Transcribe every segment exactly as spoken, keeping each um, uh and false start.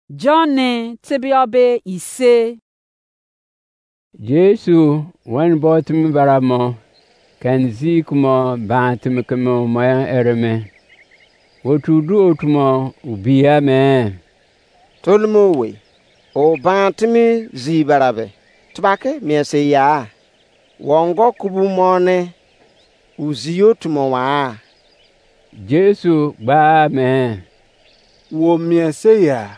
John ne tebia be ise. Jesu weni bo timi bara mo, keni zi kumo ban timi keme mo ereme. Otu du otu mo ubi ya me. Tolimo we, o ban timi zi bara be, tubake mien se ya. Wongo kubu mo ne, uzi otu mo wa. Jesu gba me. Wo mien se ya.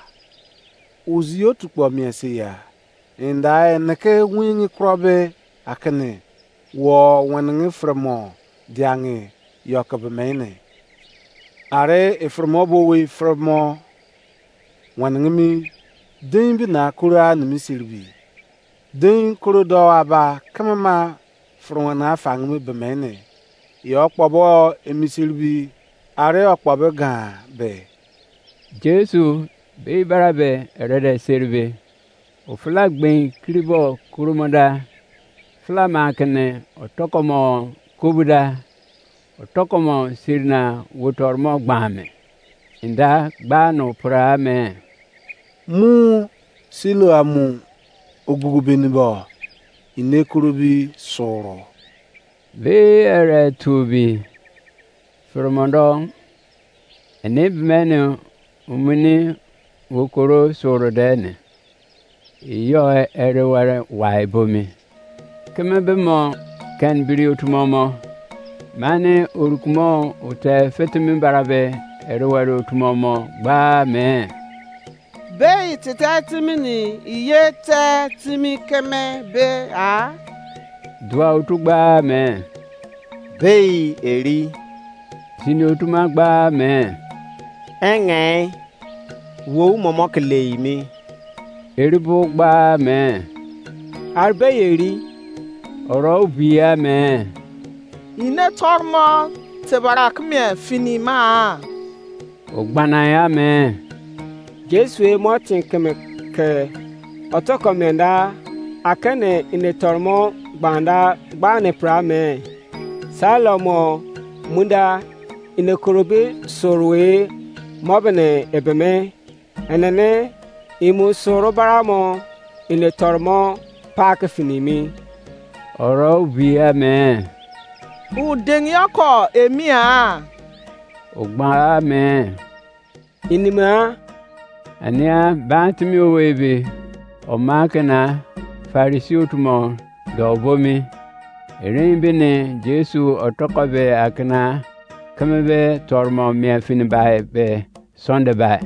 Uzi otu kpo mien se ya. Inda eneke wingi krobe akene wo wenengi fremo diangi yoke bemene. Are efremo bo we fremo wenengi mi dein bina koro a nimi siribi. Dein koro do aba keme ma furwana fangimi bemene. Yo kpobo emisiribi are okpobe gan be. Jesu be bara be erede seribe. Ofula gbein kiribo kurumo da. Fula ma kene otokomo kobu da. Otokomo sirina wotormo gbame. Inda gba no pura me. Mu silo amu ogugu beni bo ine kurubi soro. Be ere tubi. Furmondo ene bimene umuni wokoro soro dene. Iyo ere were wai bomi. Keme be mo ken biri otu mo mo. Mane orukumo ote fetimi bara be ere were otu mo mo gba me. Bei tete timi ni iye te timi keme be a? Dua otu gba me. Bei eri. Tini otu ma gba me. Enge. Wo momo ke lei mi. Eri bo gba me. Arbe eri. Oro ubia me. Ine tormo tebara keme fini ma. Ogbana ya me. Jesu e mo tin keme ke otoko menda akene ine tormo gbanda gbane pra me. Salomo munda ine korobe sorwe mobene ebeme. Enene imu soro baramo ine tormo pak finimi. Oro ubia me. Udengi oko emia. Ogba me. Inima. Ania bantimi owe be oma kena Farisi otu mo do bomi. Erin bini Jesu otoko be akena keme be tormo mia fini bai be sonde bai.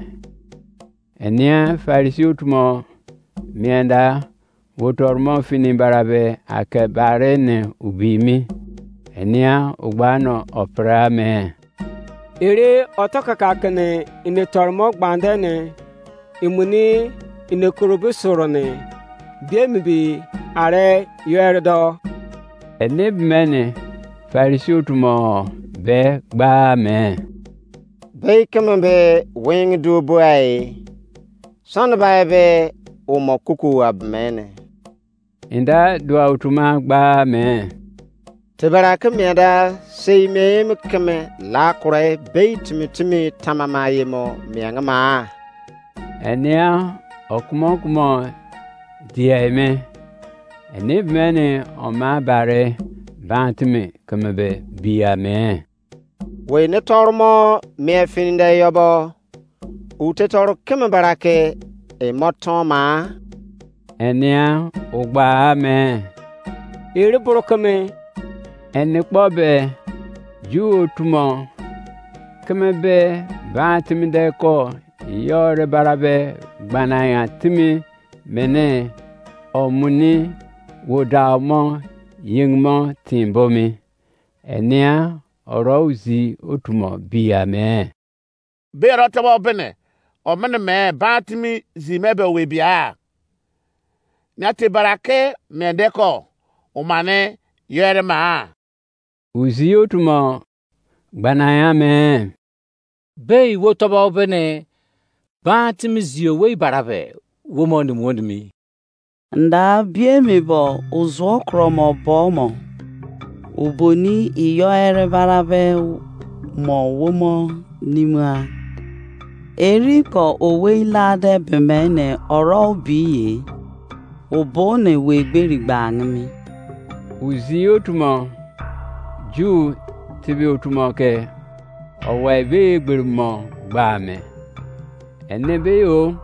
Enia Farisi otu mo mienda wotormo fini barabe ake bare ne ubimi. Enia ugba no opra me. Ere otokaka kene ine tormo gbande ne imuni ine korobo soro ne biemi bi are yere do. Ene bimene Farisi otu mo be gba me. Bei keme be wing duo buai. Sani bai be umo kuku abmene. Inda dua utuma gba me. Tebara ke mieda sei me me keme la kure bei timi timi tamama ye mo mianga ma. Enia okumo okumo dia me. Eni bimene oma bare bantimi keme be bia me. Wene toro mo mie fininde yobo. Ute toro keme barake emo toma. Enia ugba me. Ere boro keme. Eni kpo be ju otumo keme be ba timi de ko yore barabe gbana ya timi mene omuni wodau mo ying mo tin bomi. Enia oro uzi otumo bia me. Be ro tọbọ bene, omene me ba timi zi me be we bia. Nia te barake me de ko, omane yere ma. Uzi otumo gbana ya me. Bei wo tọbọ bene, ba timi zi owei barabe, wo mo ni mo ni mi. Nda biemi bo uzuo kromo bo mo. Uboni iyo ere barabe mo wo mo nimua. Eri ko owei lade bemene oro obiye. Obo ne wegberi gba angimi. Uzi otumo, Ju tibi otumo ke owei be egberi mo gba me. Ene be yo,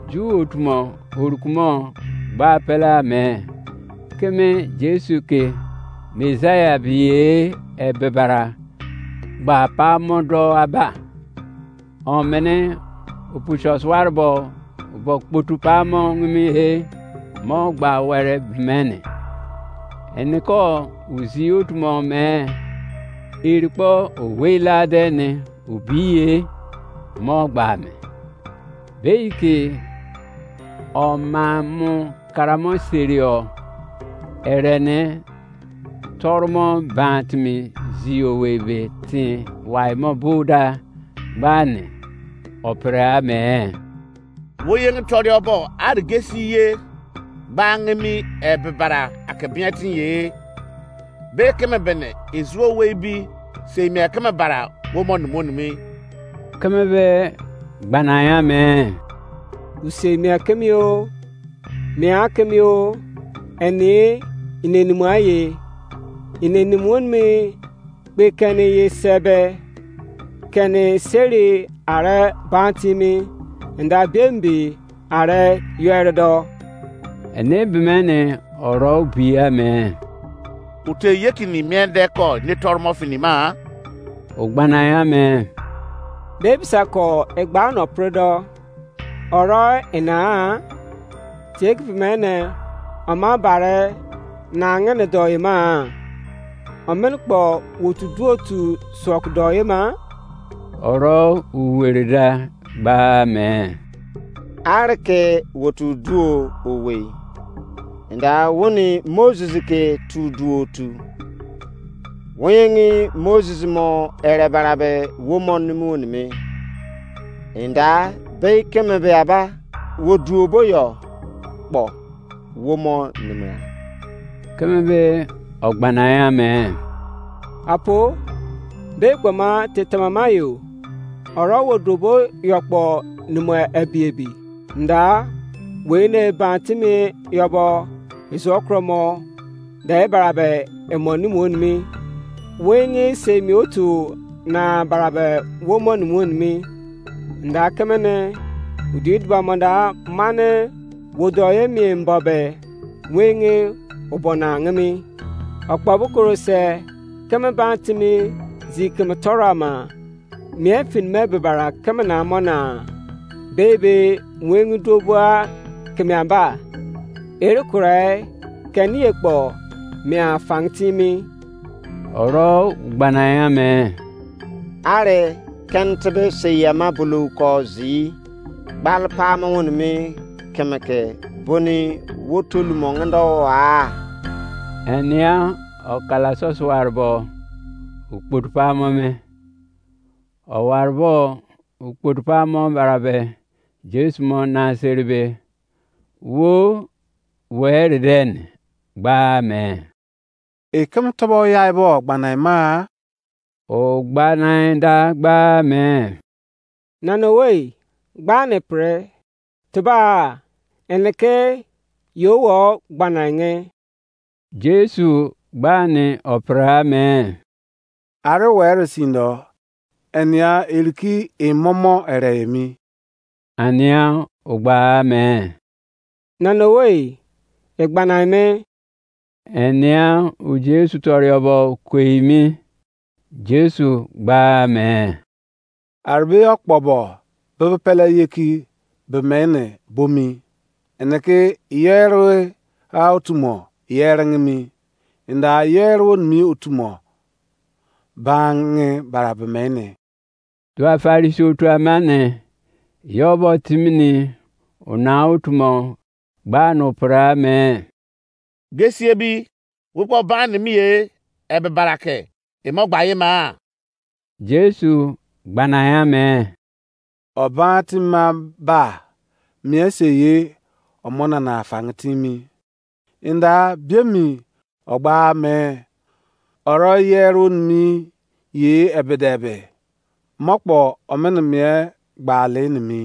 Ju otumo orukumo gba pele ame. Keme Jesu ke Messiah biye ebebara gba pamo do aba. Omene opusos warbo bo kpotu pamo ngimi he mo gba were bimene. Eniko uzi otumo me irikpo owei lade ne obiye mo gba me. Beike omamu karamo serio erene toromo ban timi zi owei be tin wai mo buda gbani opere ame. Wo yenge tọrọ ọbọ arigesi ye gba angemi ebebara ake biatin ye. Be keme bene ezuo wei bi sei mia keme bara wo mo numo nimi. Keme be gbana ya me. Usei mia kemi o, mia kemi o, eni inenimo aye. Inenimo nimi gbe keni ye sebe, keni seri are ban timi, nda bembi are yere do. Ene bimene oro bi ame. Ute yekini miende ko ne tormo fini ma? Ogbana ya me. Bebisa ko egba no predo. Oro ina tie ki pemene ama bare na ngene do ima. Omen kpo wotu duotu sok do ima. Oro uwere da gba me. Areke wotu duo owei. Nda woni Moses ke tu duo tu. Wonyengi Moses mo ere barabe wo mo nimi wonimi. Nda bei keme be aba wo duo bo yo kpo wo mo nimi. Keme be ogbana ya me. Apo, be gboma te tamama yo. Oro wo duo bo yo kpo nimo ebi ebi. Nda wene ban timi yobo izo kromo da e barabe emo nimi onimi. Wenge semi otu na barabe wo mo nimi onimi. Nda kemene udi duba mo da mane wo do ye mi mbo be wenge obo na ngimi. Okpo bukuru se keme ban timi zi keme toro ama. Mie fin me bebara keme na mo na bebe wengu dobua keme amba. Ere kure keni ekpo mia fang timi. Oro gbana ya me. Are ken tebe seyama bulu ko zi gbal pamo wonimi keme ke boni wotolu mo ngendo a. Enia okala sosuar bo ukput pamo me. Owar bo ukput pamo barabe Jesu mo na seribe wo were den gba me. Ekem tobo yai bo gbanai ma? O gbanai da gba me. Nana owei, gba ne pre, teba eneke yo wo gbanai nge. Jesu gba ne opra me. Are were sindo, enia eriki emomo ere emi. Ania ogba me. Nana owei, egbana me. Enia u Jesu toriobo kweimi. Jesu gba me. Arbe okpobo bebe pele yeki bemene bomi. Eneke yere ha otumo yere ngimi. Inda yere wonimi otumo bange bara bemene. Dua Farisi otu amane, yobo timini ona otumo gba no pra me. Gesie bi, wo kpo ban nimi ye, ebe barake, emo gba ye ma? Jesu gbana ya me. Oban tima ba, mie se ye, omo nana afang timi. Inda biemi ogba me, oro ye ro nimi ye ebedebe. Mokpo omene mie gba le nimi